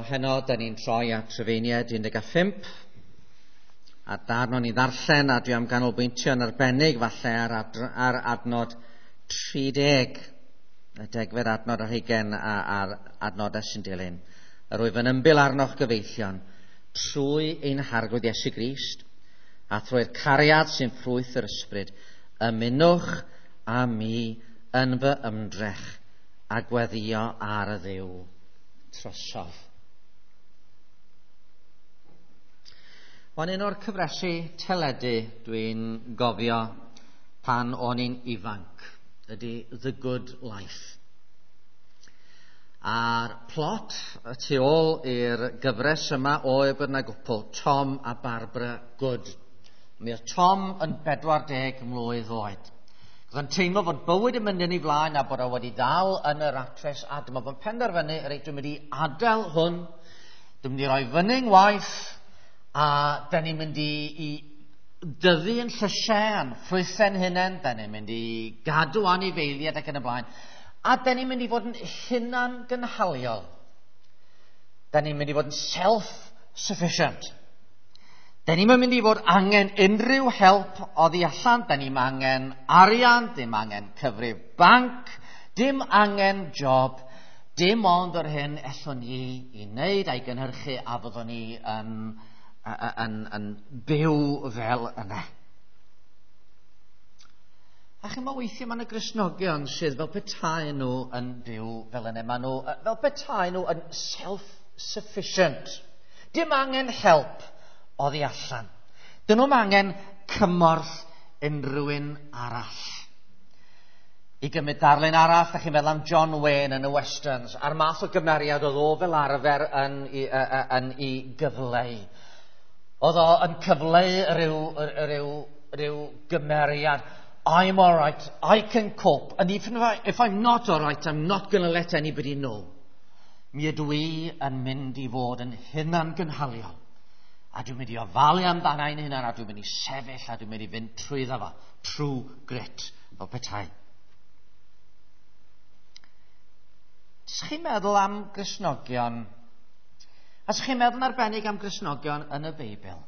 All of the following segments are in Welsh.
Wel, heno, da ni'n troi at Rufeiniaid 15, a darn o'n i ddarllen, a dwi am ganolbwyntio yn arbennig falle ar adnod 30, y degfed adnod ar hugain a'r adnodau sy'n dilyn. Yr wyf yn ymbil arnoch gyfeillion, trwy ein Harglwydd Iesu Grist, a thrwy'r cariad sy'n ffrwyth yr ysbryd, ymunwch â mi yn fy ymdrech a gweddio ar y Dduw trosof. Wel, un o'r cyfresi teledu dwi'n gofio pan o'n i'n ifanc ydy The Good Life. A'r plot y tu ôl i'r gyfres yma oedd bod yna gwpl, Tom a Barbara Good. Mi oedd Tom yn 40 mlwydd oed. Oedd yn teimlo fod bywyd yn mynd yn ei flaen a bod o wedi dal yn y rat race, a dyma fo'n penderfynu, reit, dwi'n mynd i adael hwn, dwi'n mynd i roi fyny ngwaith, a da ni'n mynd i dyfu yn llysiau a'n ffrwythau'n hunain, da ni'n mynd i gadw anifeiliaid ac yn y blaen, a da ni'n mynd i fod yn hunan gynhaliol. Da ni'n mynd i fod yn self-sufficient. Da ni'n mynd i fod angen unrhyw help oddi allan, da ni'n angen arian, dim angen cyfrif banc, dim angen job, dim ond yr hyn ellwn ni i wneud a'i gynhyrchu a fyddwn ni yn byw fel yna. A chymod, weithiau mae yna Gristnogion sydd fel petai nhw yn byw fel yna. Maen nhw fel petai nhw yn self-sufficient. Dim angen help oddi allan. Dyn nhw'm angen cymorth unrhyw un arall. I gymryd darlun arall, da chi'n meddwl am John Wayne yn y Westerns, a'r math o gymeriad oedd o fel arfer yn i gyfleu. Oedd o yn cyfleu rhyw gymeriad. I'm all right, I can cope, and even if I'm not all right, I'm not going to let anybody know. Mi ydw i yn mynd i fod yn hunan gynhaliol. A dwi'n mynd i ofalu amdana i'n hunan, a dwi'n mynd i sefyll, a dwi'n mynd i fynd trwyddo fo. True grit, fel petai. Ys chi'n meddwl am Gristnogion? A ys chi'n meddwl yn arbennig am Gristnogion yn y Beibl?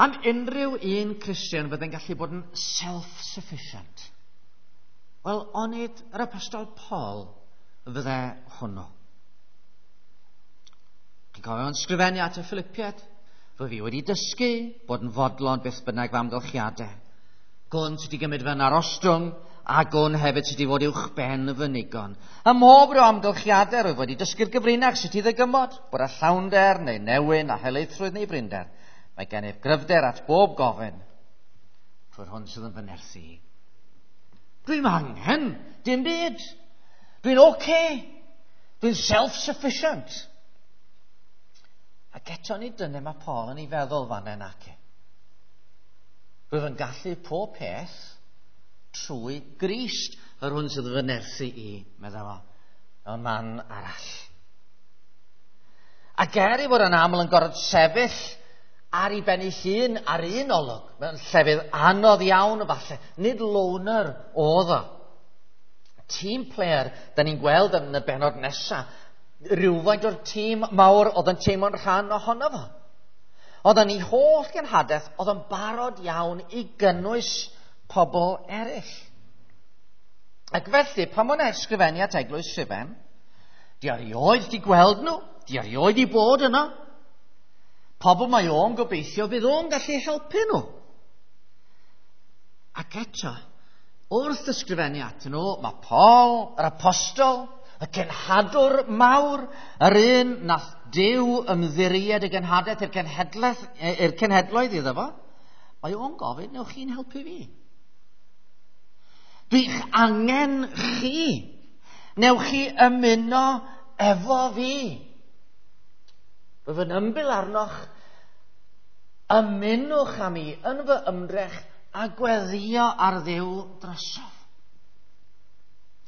Am unrhyw un Cristion fydde'n gallu bod yn self-sufficient? Wel, onid yr Apostol Paul fydde hwnnw? Chi'n cofio yn sgrifennu at y Philippiaid? Rwy fi wedi dysgu bod yn fodlon beth bynnag fy amgylchiadau. Gwn sut i gymryd fy narostwng, a gwn hefyd sut i fod uwch ben fy nigon. Ym mhob rhyw amgylchiadau, rwyf wedi dysgu'r gyfrinach sut i ddygymod, bod â llawnder neu newyn a helaethrwydd neu brinder. Mae gennyf gryfder at bob gofyn trwy'r hwn sydd yn fy nerthu. Dwi'n angen dim byd. Dwi'n okay. Dwi'n self-sufficient. Ac eto ni dyna mae Paul yn ei feddwl fan hyn ac. Rwyf yn gallu pob peth trwy Grist, yr hwn sydd yn fy nerthu i, meddai fo, mewn man arall. Ac er ei fod yn aml yn gorfod sefyll ar ei ben ei hun ar un olwg, mewn llefydd anodd iawn falle, nid loner oedd o. Team player, da ni'n gweld yn y benod nesaf, rhywfaint o'r tîm mawr oedd yn teimlo'n rhan ohono fo. Oedd yn ei holl genhadaeth, oedd yn barod iawn i gynnwys pobl eraill. Ac felly, pan mae'n ysgrifennu at Eglwys Rhufain, di erioed di gweld nhw, di erioed i bod yno. Pobl mae o'n gobeithio fydd o'n gallu helpu nhw. Ac eto, wrth ysgrifennu atyn nhw, mae Paul, yr apostol, y cenhadwr mawr, yr un nath Duw ymddiried y genhadaeth i'r cenhedloedd iddo fo, mae o'n gofyn, newch chi'n helpu fi? Dwi'n angen chi. Newch chi ymuno efo fi. Rwyf yn ymbil arnoch, ymunwch â mi yn fy ymdrech a gweddio ar Dduw drosof.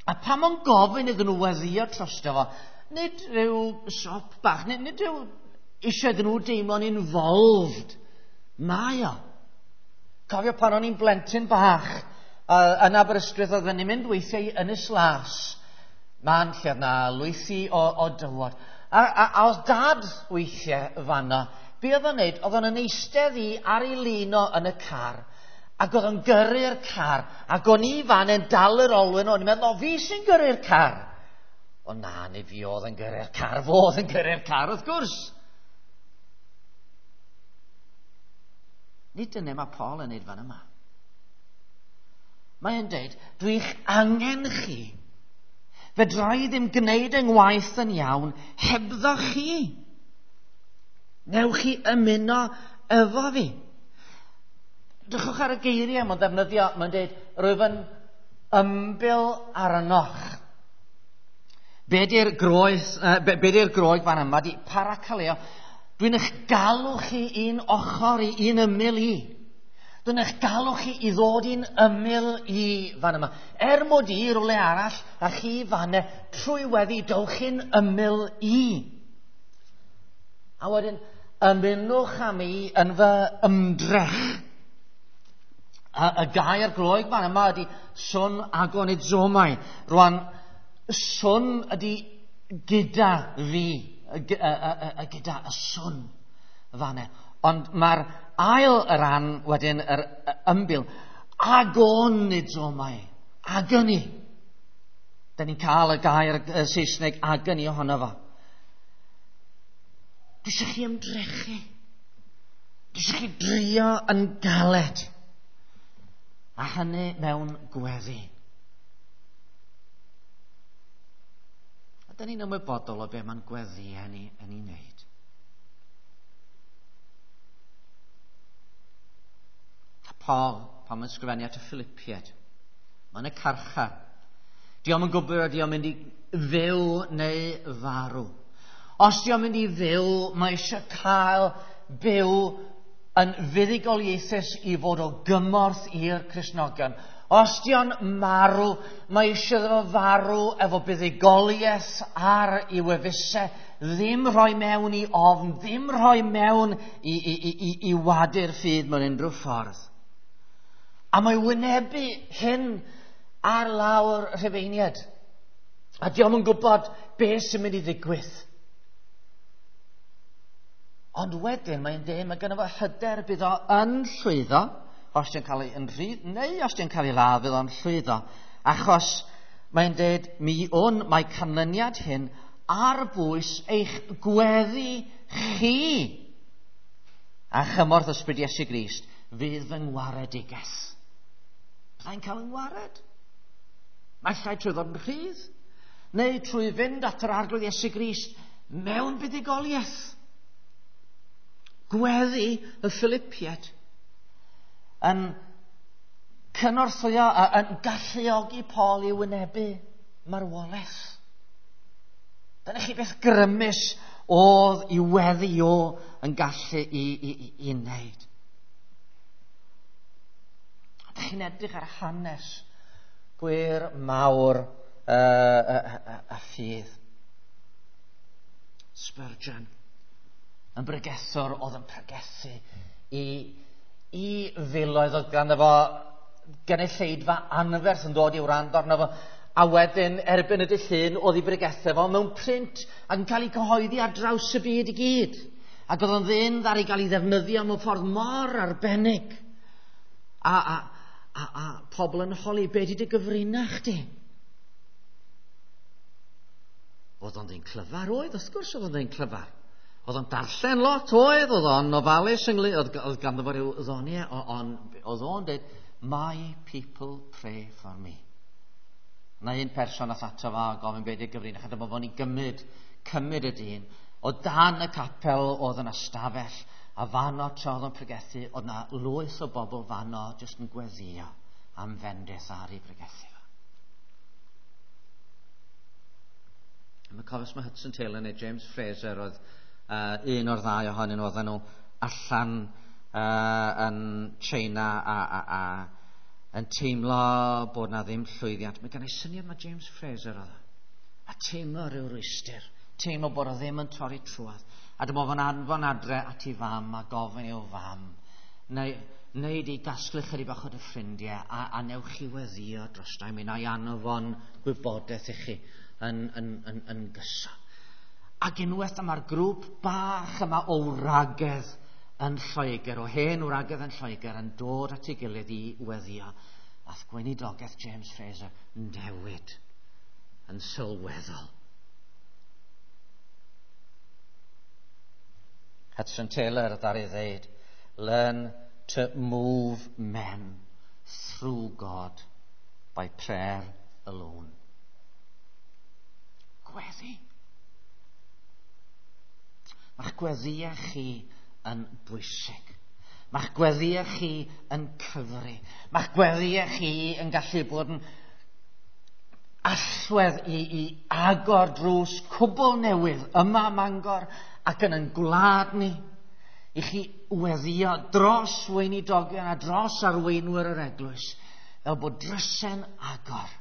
A pan o'n gofyn iddyn nhw weddio drosto fo, nid rhyw sop bach, nid rhyw eisiau iddyn nhw deimlo'n involved. Mae o. Cofio pan o'n i'n blentyn bach, yn Aberystwyth, oedden ni'n mynd weithiau i Ynys Las. Man lle oedd na lwythi o dywod. A oedd dad weithiau fanna, be oedd o'n neud? Oedd o'n eistedd i ar ei lino yn y car, ac oedd o'n gyrru'r car, ac o'n i fan yn dal yr olwyn, o'n i'n meddwl, o, fi sy'n gyrru'r car. O na, nid fi oedd yn gyrru'r car, fo oedd yn gyrru'r car, wrth gwrs. Nid dyna mae Paul yn neud fan yma. Mae'n deud, dwi'n angen chi. Fedra i ddim gwneud yng ngwaith yn iawn hebddo chi. Newch chi ymuno efo fi. Drychwch ar y geiriau mae'n ddefnyddio, mae'n dweud, rwyf yn ymbil arnoch. Be di'r groes, be di'r groeg fan yma? Di parakaleo. Dwi'n eich galw chi un ochr i, un ymyl i. Dwi'n eich galw chi i ddod i'n ymyl i fan yma. Er mod i rywle arall a chi fan trwy weddi dowch chi'n ymyl i. A wedyn, ymunwch â mi yn fy ymdrech. Y gair Groeg fan yma ydy swn agonizomai. Rwan, swn ydy gyda fi, gyda y swn fan e. Ond mae'r ail ran wedyn, yr ymbil, agonizomai, agony. Da ni'n cael y gair Saesneg agony ohono fo. Dwi eisiau chi ymdrechu. Dwi eisiau chi drio yn galed. A hynny mewn gweddi. A da ni'n ymwybodol o be mae'n gweddi hynny yn ei wneud. A Paul, pan mae'n sgrifennu at y Philippiaid, mae'n y carchar. Dio'm yn gwybod ydy o'n mynd i fyw neu farw. Os dio'n mynd i fyw, mae eisiau cael byw yn fuddugoliaethus i fod o gymorth i'r Cristnogion. Os dio'n marw, mae eisiau iddo fo farw efo buddugoliaeth ar ei wefusau, ddim rhoi mewn i ofn, ddim rhoi mewn i wadu'r ffydd mewn unrhyw ffordd. A mae wynebu hyn ar lawr Rhufeiniaid. A dio'm yn gwybod beth sy'n mynd i ddigwydd. Ond wedyn mae'n dweud, mae gynno fo hyder bydd o yn llwyddo, os di'n cael ei yn rhydd, neu os di'n cael ei ladd, bydd o'n llwyddo. Achos mae'n dweud, mi wn, mae canlyniad hyn ar bwys eich gweddi chi. A chymorth ysbryd Iesu Grist fydd fy ngwaredigaeth. Byddai'n cael yng ngwared. Mae llai trwy ddod yn rhydd, neu trwy fynd at yr Arglwydd Iesu Grist mewn buddugoliaeth. Gweddi y Philippiaid yn cynorthwyo, yn galluogi Paul i wynebu marwolaeth. Dyna chi beth grymus oedd i weddi o yn gallu i wneud. A dych chi'n edrych ar hanes gwir mawr y ffydd. Spurgeon yn bregethwr oedd yn pregethu i filoedd, oedd ganddo fo gynulleidfa anferth yn dod i wrando arno fo, a wedyn erbyn y dydd Llun oedd ei bregethau fo mewn print ac yn cael ei cyhoeddi ar draws y byd i gyd. Ac oedd o'n ddyn ddaru gael ei ddefnyddio mewn ffordd mor arbennig. A pobl yn holi, be di dy gyfrinach di? Oedd o'n ddyn clyfar, oedd, wrth gwrs oedd o'n ddyn clyfar. Oedd o'n darllen lot, oedd o'n ofalus ynglyn, oedd ganddo fo ryw ddoniau, oedd o'n dweud, my people pray for me. Na un person ath ato fo a gofyn beth i'r gyfrinach, a dyma fo'n i gymryd y dyn. O dan y capel oedd yn ystafell, a fanno tra oedd o'n pregethu, oedd na lwyth o bobl fanno jyst yn gweddio am fendith ar ei pregethu fo. Mae cofio mae Hudson Taylor neu James Fraser oedd un o'r ddau ohonyn nhw, oedden nhw allan yn China a yn teimlo bod na ddim llwyddiant. Mae gen i syniad mae James Fraser oedd. A teimlo rhyw rwystr. Teimlo bod o ddim yn torri trwodd. A dyma fo'n anfon adre at ei fam a gofyn i'w fam. Neu di gasglu chydig bach o dy ffrindiau a newch chi weddio dros mi na i anfon gwybodaeth i chi yn gyson. Ac unwaith dyma'r grŵp bach yma o wragedd yn Lloegr, o hen wragedd yn Lloegr, yn dod at ei gilydd i weddio. Ath gweinidogaeth James Fraser newid yn sylweddol. Hudson Taylor ddaru ddeud, "Learn to move men through God by prayer alone." Gweddi. Mae'ch gweddïau chi yn bwysig. Mae'ch gweddïau chi yn cyfri. Mae'ch gweddïau chi yn gallu bod yn allwedd i agor drws cwbl newydd yma ym Mangor ac yn ein gwlad ni, i chi weddio dros weinidogion a dros arweinwyr yr eglwys, fel bod drysau'n agor.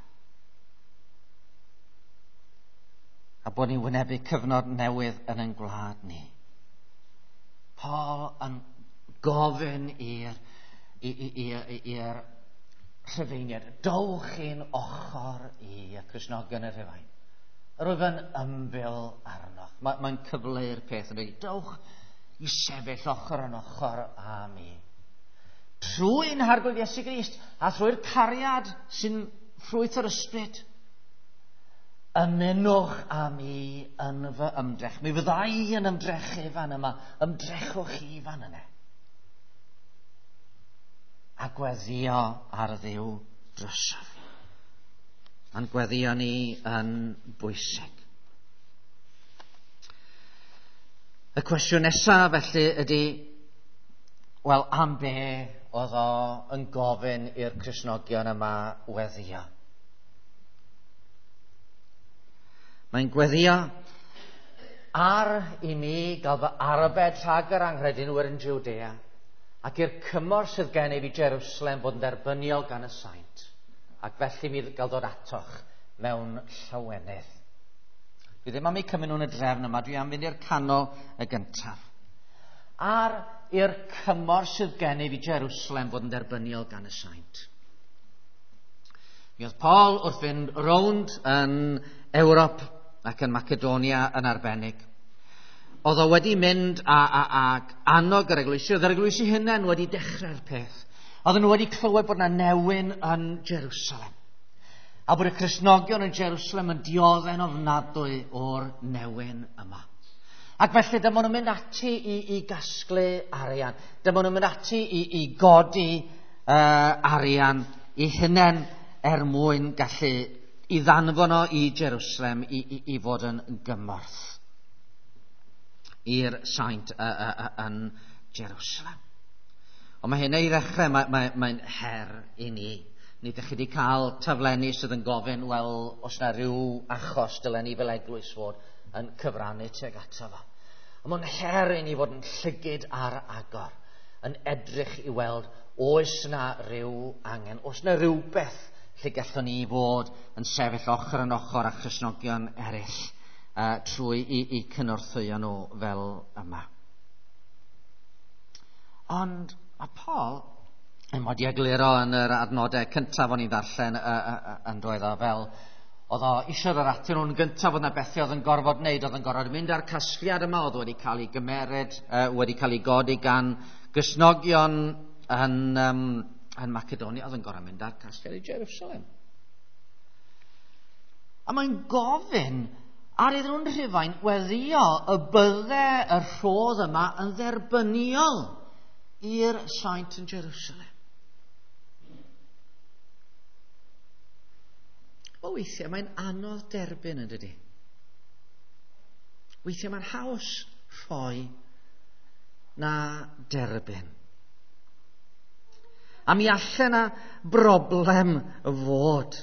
A bod ni'n wynebu cyfnod newydd yn ein gwlad ni. Paul yn gofyn i'r Rhufeiniaid, dowch i'n ochr i, y Cristnogion y Rhufain. Yr wyf yn ymbil arnoch. Mae'n cyfleu'r peth yn dweud, dowch i sefyll ochr yn ochr â mi. Trwy'n Harglwydd Iesu Grist a thrwy'r cariad sy'n ffrwyth yr ysbryd, ymunwch â mi yn fy ymdrech. Mi fydda i yn ymdrechu fan yma, ymdrechwch chi fan yna. A gweddio ar Dduw drosof. A'n gweddio ni yn bwysig. Y cwestiwn nesaf felly ydy, wel, am be oedd o yn gofyn i'r Cristnogion yma weddio? Mae'n gweddio ar i mi gael fy arbed rhag yr anghredinwyr yn Jwdea, ac i'r cymorth sydd gennyf i Jerusalem fod yn dderbyniol gan y saint, ac felly mi gael dod atoch mewn llawenydd. Dwi ddim am eu cymryd nhw'n y drefn yma, dwi am fynd i'r canol y gyntaf. Ar i'r cymorth sydd gennyf i Jerusalem fod yn dderbyniol gan y saint. Mi oedd Paul wrth fynd rownd yn Ewrop ac yn Macedonia yn arbennig. Oedd o wedi mynd ag annog yr eglwysi, oedd yr eglwysi hunain wedi dechrau'r peth. Oedden nhw wedi clywed bod yna newyn yn Jerusalem. A bod y Cristnogion yn Jerusalem yn dioddef'n ofnadwy o'r newyn yma. Ac felly dyma nhw'n mynd ati i gasglu arian. Dyma nhw'n mynd ati i godi arian i hunain er mwyn gallu i ddanfon o i Jerusalem i fod yn gymorth i'r saint yn Jerusalem. Ond mae hynny i ddechrau, mae'n her i ni. Ni ydych chi wedi cael taflenni sydd yn gofyn, wel, os na rhyw achos dylen ni fel eglwys fod yn cyfrannu tuag ato fo. Ond mae'n her i ni fod yn llygid ar agor, yn edrych i weld oes na rhyw angen, oes na rhywbeth lle gallwn ni fod yn sefyll ochr yn ochr â Christnogion eraill trwy i cynorthwyo nhw fel yma. Ond a Paul yn wedi egluro yn yr adnodau cyntaf o'n i'n ddarllen yn doedd o fel oedd o eisiau yr atyn nhw'n gyntaf, oedd yna bethau oedd yn gorfod wneud, oedd yn gorfod mynd â'r casgliad yma, oedd wedi cael ei gymeryd, wedi cael ei godi gan Gristnogion yn Macedonia, oedd yn gorfod mynd â'r casgliad i Jerusalem. A mae'n gofyn ar iddyn nhw'n Rhufain weddio y bydde y rhodd yma yn dderbyniol i'r saint yn Jerusalem. O, weithiau mae'n anodd derbyn, yn dydi? Weithiau mae'n haws rhoi na derbyn. A mi allan na broblem fod.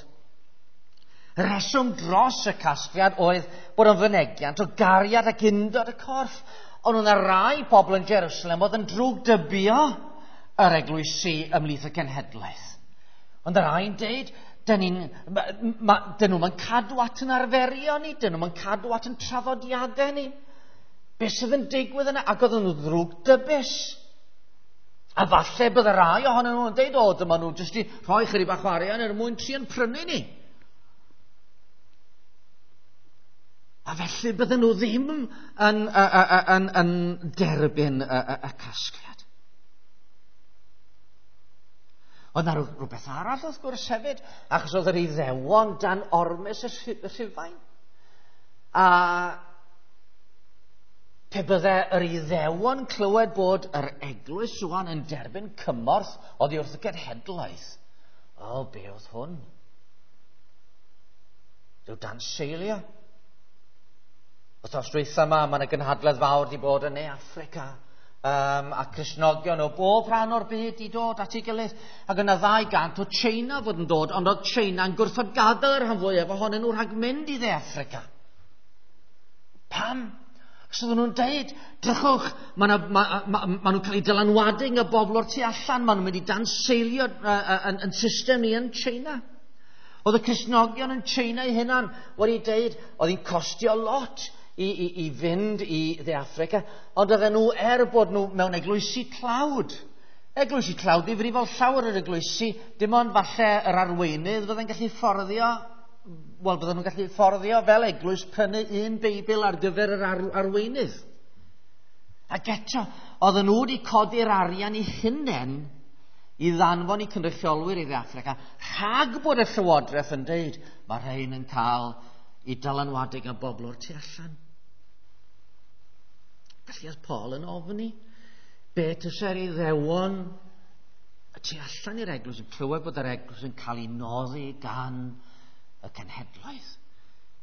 Y rheswm dros y casgliad oedd bod o'n fynegiant o gariad ac undod y corff. Ond oedd yna rai pobl yn Jerusalem oedd yn drwgdybio yr eglwysi ymhlith y cenhedlaeth. Ond y rhai'n deud, dyn nhw'n cadw at yn arferion ni, dyn nhw'n cadw at yn traddodiadau ni. Be sydd yn digwydd yna? Ac oedden nhw ddrwgdybus. A falle bydde rai ohonyn nhw'n deud, o, dyma nhw jyst i rhoi chydig bach o arian er mwyn tri'n prynu ni. A felly bydden nhw ddim yn derbyn y casgliad. Oedd na rhywbeth arall wrth gwrs hefyd, achos oedd yr Iddewon dan ormes y Rhufain. A pe bydde yr Iddewon clywed bod yr eglwys rwan yn derbyn cymorth oddi wrth y genhedlaeth, o, be oedd hwn? Rhyw danseilio. Wythnos dwytha yma, mae yna gynhadledd fawr wedi bod yn Ne Affrica, a Cristnogion o bob rhan o'r byd i dod at ei gilydd. Ac yna 200 o China fod yn dod, ond oedd China yn gwrthod gadael yr rhan fwyaf ohonyn nhw rhag mynd i Dde Affrica. Pam? Achos oedden nhw'n deud, drychwch, ma nhw'n cael eu dylanwadu gan y bobl o'r tu allan, maen nhw'n mynd i danseilio yn system ni yn China. Oedd y Cristnogion yn China eu hunan wedi deud, oedd hi'n costio lot i fynd i Dde Affrica, ond oedden nhw, er bod nhw mewn eglwysi tlawd, eglwysi tlawd ddifrifol llawer o'r eglwysi, dim ond falle yr arweinydd fydde'n gallu fforddio, wel, bydden nhw'n gallu fforddio fel eglwys prynu un Beibl ar gyfer yr arweinydd. Ac eto, oedden nhw wedi codi'r arian eu hunain i ddanfon i cynrychiolwyr i Dde Affrica, rhag bod y llywodraeth yn deud, mae rhain yn cael i dylanwadu gan bobl o'r tu allan. Felly oedd Paul yn ofni be tysa'r Iddewon y tu allan i'r eglwys yn clywed bod yr eglwys yn cael ei noddi gan y cenhedloedd.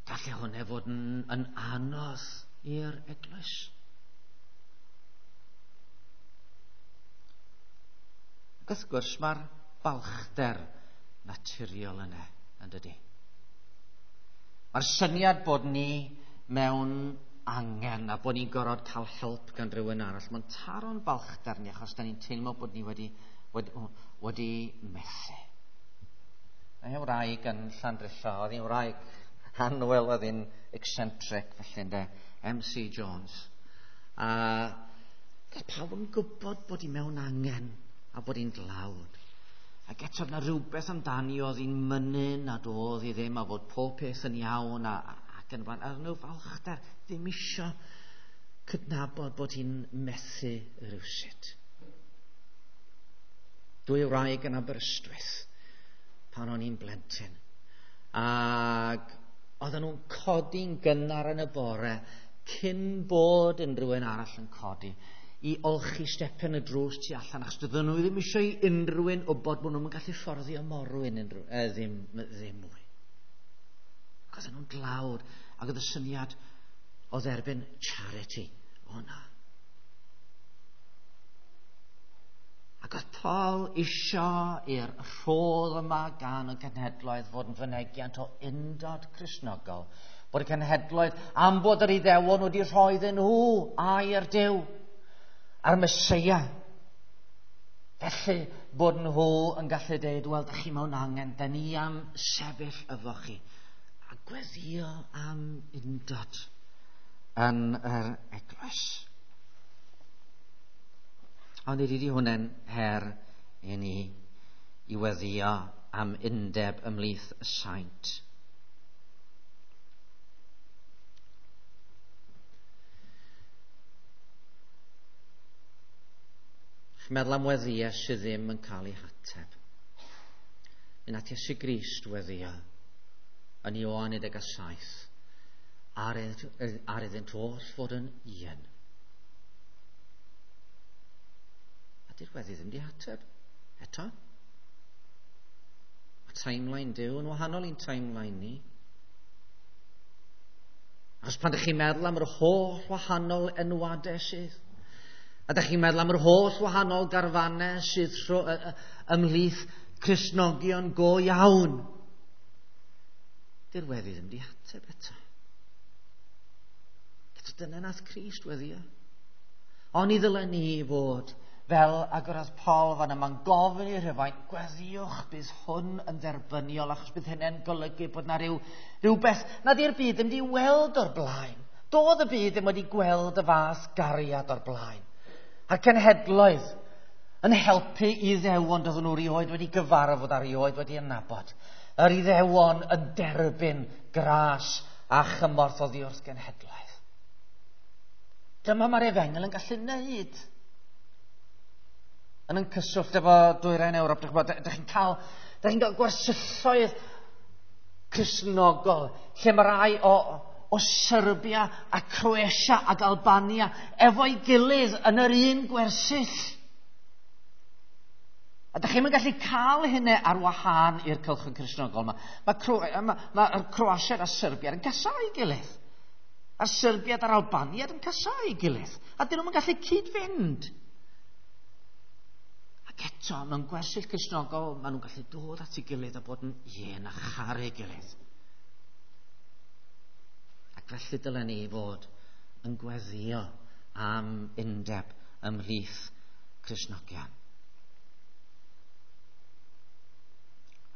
Gallai hwnna fod yn anodd i'r eglwys. Ac wrth gwrs mae'r balchder naturiol yna, yn dydy. Mae'r syniad bod ni mewn angen a bod ni'n gorfod cael help gan rhywun arall, mae'n taro'n balchder ni achos da ni'n teimlo bod ni wedi methu. Mae hi'n wraig yn Llandrillo, oedd hi'n wraig annwyl, oedd hi'n eccentric, felly ynde, MC Jones. A pawb yn gwybod bod hi mewn angen a bod hi'n dlawd. Ac eto na rhywbeth amdani oedd hi'n mynnu nad oedd hi ddim a fod pob peth yn iawn ac yn y blaen. A nhw falchder ddim isio cydnabod bod hi'n methu rhywsut. Dwy wraig yn Aberystwyth pan o'n i'n blentyn. Ac oedden nhw'n codi'n gynnar yn y bore cyn bod unrhyw un arall yn codi i olchi stepen y drws tu allan, achos doedden nhw ddim eisiau i unrhyw un wybod bod nhw'n gallu fforddio morwyn unrhyw, ddim mwy. Ac oedden nhw'n dlawd, ac oedd y syniad o dderbyn charity o na. Ac oedd Paul isio i'r rhodd yma gan y cenhedloedd fod yn fynegiant o undod Cristnogol, bod y cenhedloedd am bod yr Iddewon wedi rhoi iddyn nhw air Duw a'r Meseia. Felly bod nhw yn gallu deud, wel, da chi mewn angen, da ni am sefyll efo chi. A gweddio am undod yn yr eglwys. Ond ydy hwnna'n her i ni i weddio am undeb ymhlith y saint. Chi'n meddwl am weddiau sydd ddim yn cael ei hateb. Mi nath Iesu Grist weddio yn Ioan 17 ar iddynt oll fod yn un. A di'r weddi ddim di ateb eto. Mae timeline Duw yn wahanol i'n timeline ni. Achos pan ydych chi'n meddwl am yr holl wahanol enwadau sydd, a ydych chi'n meddwl am yr holl wahanol garfannau sydd ymhlith Cristnogion go iawn, di'r weddi ddim di ateb eto. Eto dyna nath Crist weddio. Ond i ddylen ni fod fel agorodd Paul fan yma'n gofyn i'r Rhufain, gweddiwch bydd hwn yn dderbyniol, achos bydd hynny'n golygu bod na rhywbeth nad yw'r byd ddim wedi weld o'r blaen. Doedd y byd ddim wedi gweld y fath gariad o'r blaen. A'r cenhedloedd yn helpu Iddewon doedden nhw rioed wedi gyfarfod a rioed wedi adnabod. Yr Iddewon yn derbyn gras a chymorth oddi wrth genhedlaeth. Dyma mae'r efengyl yn gallu wneud. Yn yn cyswllt efo dwyrain Ewrop, dych chi'n cael, dych chi'n cael gwersylloedd Cristnogol, lle mae rai o Serbia a Croatia ac Albania efo'i gilydd yn yr un gwersyll. A dych chi'm yn gallu cael hynny ar wahân i'r cylch Cristnogol yma. Mae'r Croatiaid a Serbiaid yn casáu gilydd. A'r Serbiaid a'r Albaniaid yn casáu gilydd. A dyn nhw'n gallu cyd-fynd. Ac eto, mewn gwersyll Cristnogol, maen nhw'n gallu dod at ei gilydd a bod yn un a charu gilydd. Ac felly dylen ni fod yn gweddïo am undeb ymhlith Cristnogion.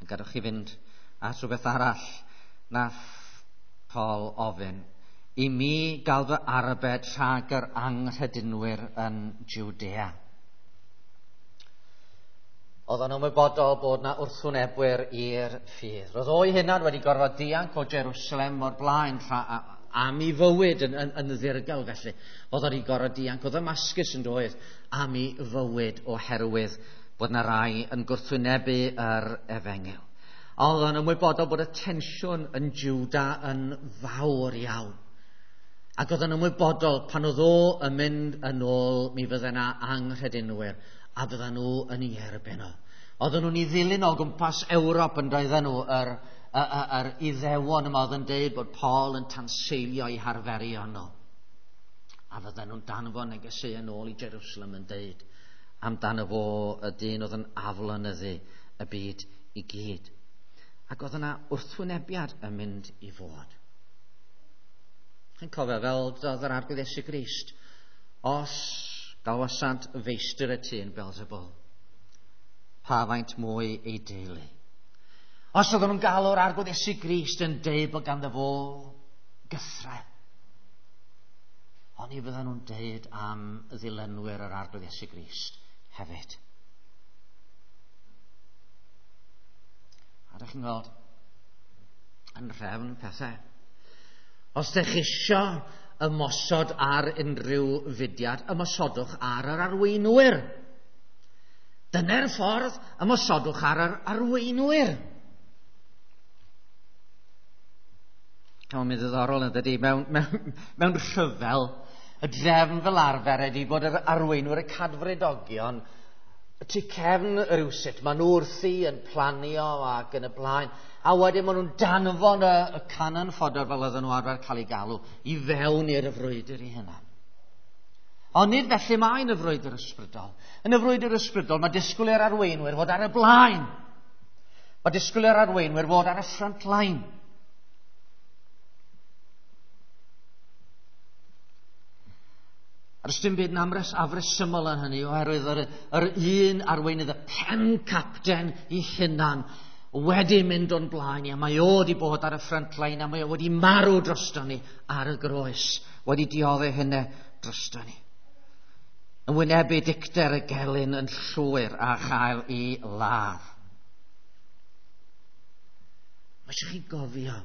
A gadwch chi fynd at rhywbeth arall nath Paul ofyn. I mi gael fy arbed rhag yr anghredinwyr yn Jwdea. Oedd o'n ymwybodol bod na wrthwynebwyr i'r ffydd. Roedd o'i hunan wedi gorfod dianc o Jerusalem o'r blaen am ei fywyd yn ddirgel felly. Oedd o'n gorfod dianc o Ddamascus yn doedd am ei fywyd oherwydd bod na rai yn gwrthwynebu yr efengyl. Oedd o'n ymwybodol bod y tensiwn yn Jwda yn fawr iawn. Ac oedd o'n ymwybodol pan oedd o yn mynd yn ôl, mi fydde na anghredinwyr a fydden nhw yn ei erbyn o. Oedden nhw'n ei ddilyn o gwmpas Ewrop yn doedden nhw, yr Iddewon yma oedd yn deud bod Paul yn tanseilio eu harferion nhw. A fydden nhw'n danfon negeseuon yn ôl i Jerusalem yn deud amdano fo y dyn oedd yn aflonyddu y byd i gyd. Ac oedd yna wrthwynebiad yn mynd i fod. Chi'n cofio fel doedd yr Arglwydd Iesu Grist, os galwasant feistr y tŷ yn Beelzebul, pa faint mwy ei deulu. Os oedden nhw'n galw'r Arglwydd Iesu Grist yn deud bod ganddo fo gythrel, oni fydden nhw'n deud am ddilynwyr yr Arglwydd Iesu Grist hefyd. A ydych chi'n gweld yn rhefn pethau. Os ydych chi isio ymosod ar unrhyw fudiad, ymosodwch ar yr arweinwyr. Dyna'r ffordd, ymosodwch ar yr arweinwyr. Mae'n mynd ddiddorol yn dydi, mewn rhyfel, y drefn fel arfer ydi bod yr arweinwyr, y cadfridogion, y tu cefn rywsut, maen nhw wrthi yn planio ac yn y blaen, a wedyn maen nhw'n danfon y cannon fodder fel oedden nhw arfer cael ei galw i fewn i'r frwydr i hunan. Ond nid felly mae yn y frwydr ysbrydol. Yn y frwydr ysbrydol mae disgwyl i'r arweinwyr fod ar y blaen. Mae disgwyl i'r arweinwyr fod ar y front line. A does dim byd yn afresymol yn hynny, oherwydd yr un arweinydd, y pen capten i hunan, wedi mynd o'n blaen ni, a mae o wedi bod ar y front line, a mae o wedi marw drosto ni ar y groes, wedi dioddef hynny drosto ni. Yn wynebu dicter y gelyn yn llwyr a chael ei ladd. Mae eisiau chi gofio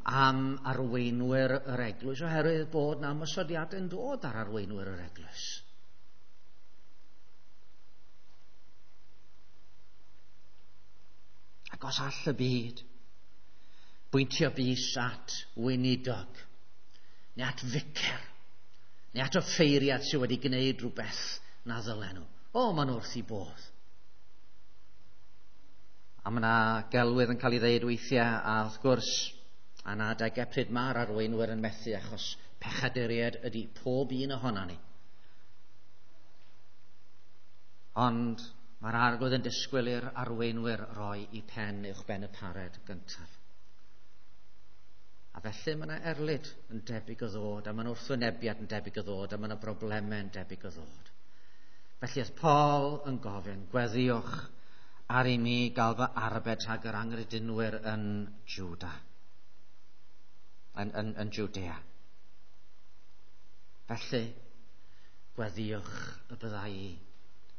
am arweinwyr yr eglwys, oherwydd bod na ymosodiadau yn dod ar arweinwyr yr eglwys. Ac os all y byd bwyntio bys at weinidog, neu at ficer, neu at offeiriad sydd wedi gwneud rhywbeth na ddylen nhw. O, maen nhw wrth i bodd. A mae yna gelwydd yn cael ei ddeud weithiau, a wrth gwrs, a na adegau pryd mae'r arweinwyr yn methu, achos pechaduriaid ydy pob un ohono ni. Ond mae'r Arglwydd yn disgwyl i'r arweinwyr roi i pen uwch ben y pared gyntaf. A felly mae yna erlid yn debyg o ddod, a mae yna wrthwynebiad yn debyg o ddod, a mae yna broblemau yn debyg o ddod. Felly oedd Paul yn gofyn, gweddiwch ar i mi gael fy arbed rhag yr anghredinwyr yn Jwda. Yn Jwdea. Felly, gweddiwch y byddai i.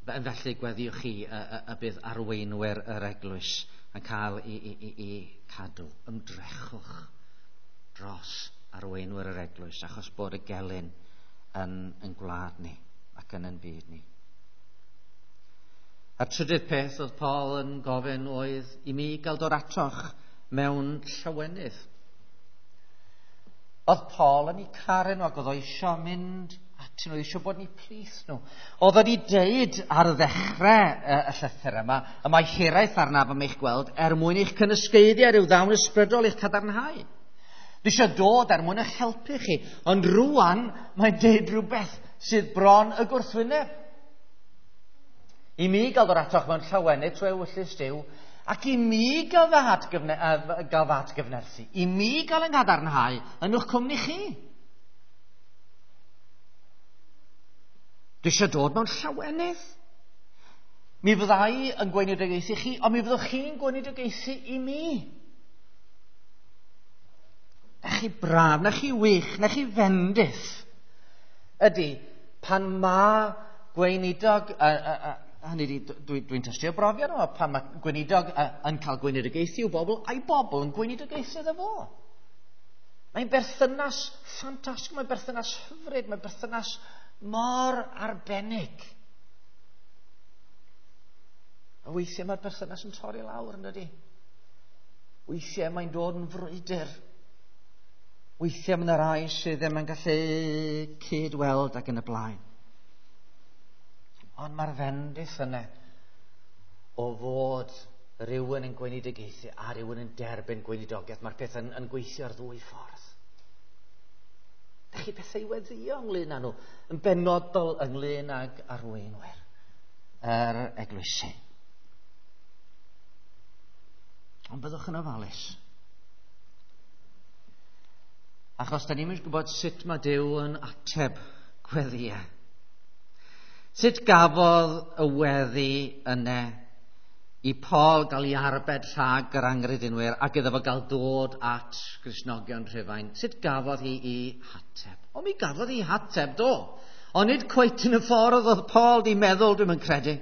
Felly, gweddiwch chi y bydd arweinwyr yr eglwys yn cael i cadw. Ymdrechwch dros arweinwyr yr eglwys, achos bod y gelyn yn gwlad ni ac yn ein byd ni. A'r trydydd peth oedd Paul yn gofyn oedd i mi gael dod atoch mewn llawenydd. Oedd Paul yn eu caru nhw ac oedd o eisiau mynd atyn nhw, eisiau bod yn eu plith nhw. Oedd wedi deud ar ddechrau y llythyr yma, y mae hiraeth arnaf am eich gweld er mwyn eich cynysgaeddu ar ryw ddawn ysbrydol eich cadarnhau. Dwi eisiau dod er mwyn eich helpu chi, ond rwan mae'n deud rhywbeth sydd bron y gwrthwyneb. I mi gael dod atoch mewn llawenydd trwy ewyllys Duw, ac i mi gael fy atgyfnerthu, i mi gael yng nghadarnhau yn eich cwmni chi. Dwi eisiau dod mewn llawenydd. Mi fyddai yn gweinidogaethu chi, ond mi fyddwch chi'n gweinidogaethu i mi. Na chi braf, na chi wych, na chi fendith. Ydy, pan mae gweinidog, hynny ydi, dwi'n tystio brofiad yma, pan mae gweinidog yn cael gweinidogaethu i'w bobl, a'i bobl yn gweinidogaethu iddo fo. Mae'n berthynas ffantastig, mae'n berthynas hyfryd, mae'n berthynas mor arbennig. A weithiau mae'r berthynas yn torri lawr, yn dydi? Weithiau mae'n dod yn frwydr. Weithiau mae yna rai sydd ddim yn gallu cyd-weld ac yn y blaen. Ond mae'r fendith yna o fod rhywun yn gweinidogaethu a rhywun yn derbyn gweinidogaeth. Mae'r peth yn gweithio ar ddwy ffordd. Dych chi bethau i weddïo ynglyn â nhw, yn benodol ynglyn ag arweinwyr yr eglwysi. Ond byddwch yn ofalus. Achos da ni'n gwybod sut mae Duw yn ateb gweddïau. Sut gafodd y weddi yna i Paul gael ei arbed rhag yr angredinwyr ac iddo fo gael dod at Gristnogion Rhufain? Sut gafodd hi ei hateb? O, mi gafodd hi hateb, do. Ond nid cweit yn y ffordd oedd Paul di meddwl, dwi'm yn credu.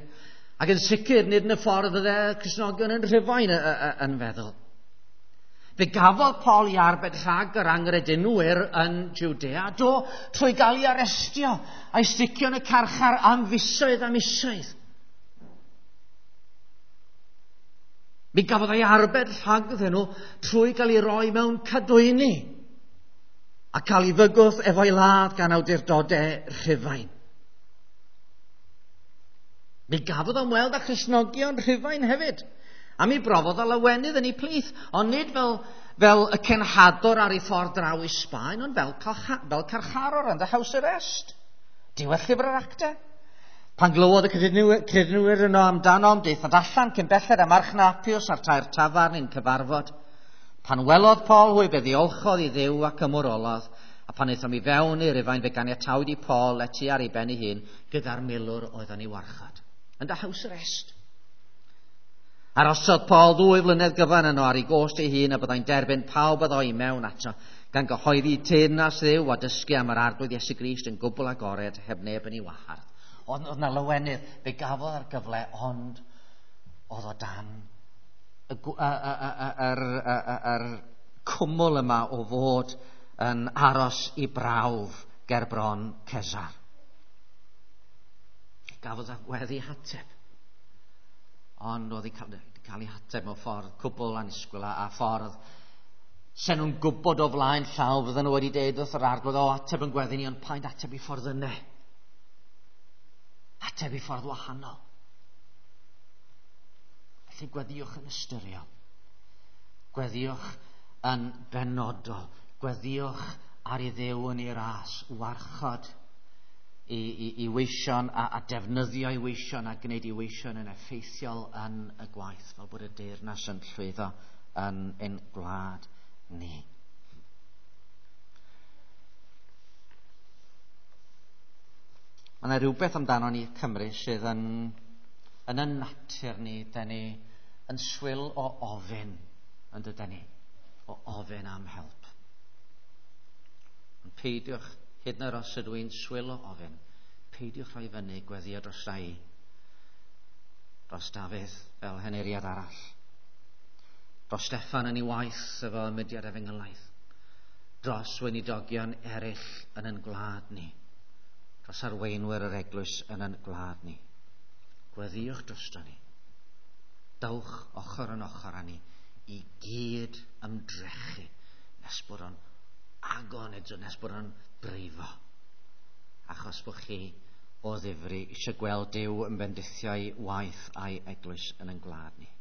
Ac yn sicr, nid yn y ffordd fydde Cristnogion yn Rhufain yn feddwl. Fe gafodd Paul ei arbed rhag yr angredinwyr yn Judea, do, trwy gael ei arestio a'i sticio yn y carchar am fisoedd a misoedd. Mi gafodd ei arbed rhagddyn nhw trwy gael ei roi mewn cadwyni a cael ei fygwth efo'i ladd gan awdurdodau Rhufain. Mi gafodd ymweld â Christnogion Rhufain hefyd. A mi brofodd o lawenydd yn ei plith, ond nid fel y cenhador ar ei ffordd draw i Sbaen, ond fel carcharor yn the house arrest. Diwedd llyfr yr actau. Pan glywodd y credinwyr yno amdano, daethant allan cyn belled a marchnad Appius a'r tair tafarn i'n cyfarfod. Pan welodd Paul hwy, fe ddiolchodd i Dduw ac ymwrolodd, a pan aethom i fewn i Rufain, fe ganiatawyd i Paul lety ar ei ben ei hun gyda'r milwr oedd yn ei warchod. Yn the house arrest. Arosodd Paul 2 flynedd gyfan yno ar ei gost ei hun a byddai'n derbyn pawb a ddoi mewn ato, gan gyhoeddi teyrnas Dduw a dysgu am yr Arglwydd Iesu Grist yn gwbl agored, heb neb yn ei wahardd. Oedd yna lawenydd, fe gafodd ar gyfle, ond oedd o dan yr cwmwl yma o fod yn aros i brawf ger bron Cesar. Gafodd weddi hateb. Ond oedd cael ei hateb mewn ffordd cwbl annisgwyl a ffordd sen nhw'n gwybod o flaen llaw fydden nhw wedi deud wrth yr Arglwydd, o, ateb yn gweddi ni, ond paid ateb i ffordd yna. Ateb i ffordd wahanol. Felly gweddïwch yn ystyriol. Gweddïwch yn benodol. Gweddïwch ar ei Dduw yn ei ras, warchod i weision a defnyddio i weision a gwneud i weision yn effeithiol yn y gwaith, fel bod y deyrnas yn llwyddo yn ein gwlad ni. Mae yna rhywbeth amdano ni Cymru sydd yn y natur ni, da ni yn swil o ofyn, yn dydan ni, o ofyn am help. Ond peidiwch, hyd yn oed os ydw i'n swil o ofyn, peidiwch rhoi fyny gweddio dros rai, dros Dafydd fel henuriad arall, dros Steffan yn ei waith efo mudiad efengylaidd, dros weinidogion eraill yn ein gwlad ni, dros arweinwyr yr eglwys yn ein gwlad ni. Gweddïwch drosto ni. Dowch ochr yn ochr â ni i gyd ymdrechu nes bod o'n agon eto, nes bod o'n brifo. Achos bod chi o ddifri eisiau gweld Duw yn bendithio'i waith a'i eglwys yn ein gwlad ni.